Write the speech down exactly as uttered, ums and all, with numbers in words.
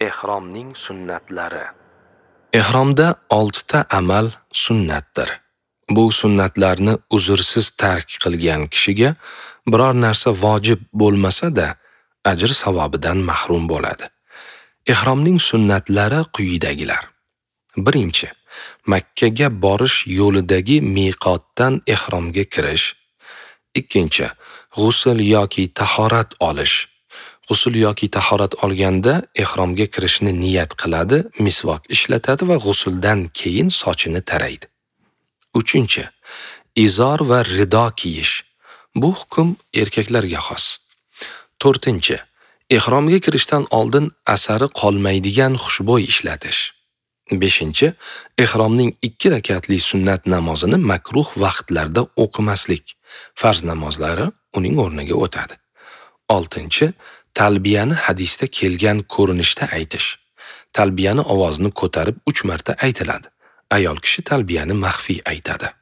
Ehromning sunnatlari. Ehromda oltita amal sunnatdir. Bu sunnatlarni uzrsiz tark qilgan kishiga biror narsa vojib bo'lmasa-da, ajr savobidan mahrum bo'ladi. Ehromning sunnatlari quyidagilar. Birinchi, Makka ga borish yo'lidagi miqotdan ehromga kirish. Ikkinchi, g'usl yoki tahorat olish. G'usl yoki tahorat olganda ehromga kirishni niyat qiladi, misvok ishlatadi va g'usldan keyin sochini taraydi. Uchinchi, izor va rido kiyish. Bu hukm erkaklarga xos. To'rtinchi, ehromga kirishdan oldin asari qolmaydigan xushbo'y ishlatish. Beshinchi, ehromning ikki rakatli sunnat namozini makruh vaqtlarda o'qimaslik. Farz namozlari uning o'rniga o'tadi. Oltinchi, talbiyani hadisda kelgan ko'rinishda aytish. Talbiyani ovozini ko'tarib uch marta aytiladi. Ayol kishi talbiyani maxfiy aytadi.